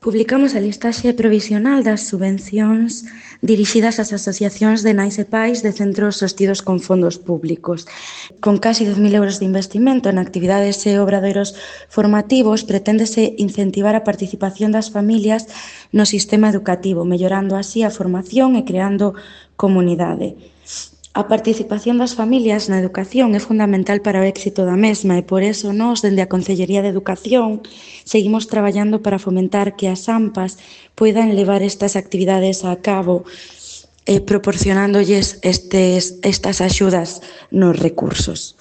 Publicamos a listaxe provisional das subvencións dirixidas ás asociacións de nais e pais de centros sostidos con fondos públicos. Con casi 10.000 euros de investimento en actividades e obradoiros formativos, preténdese incentivar a participación das familias no sistema educativo, mellorando así a formación e creando comunidade. A participación das familias na educación é fundamental para o éxito da mesma e por eso nós, dende a Consellería de Educación, seguimos traballando para fomentar que as AMPAs poidan levar estas actividades a cabo proporcionándolles estas axudas nos recursos.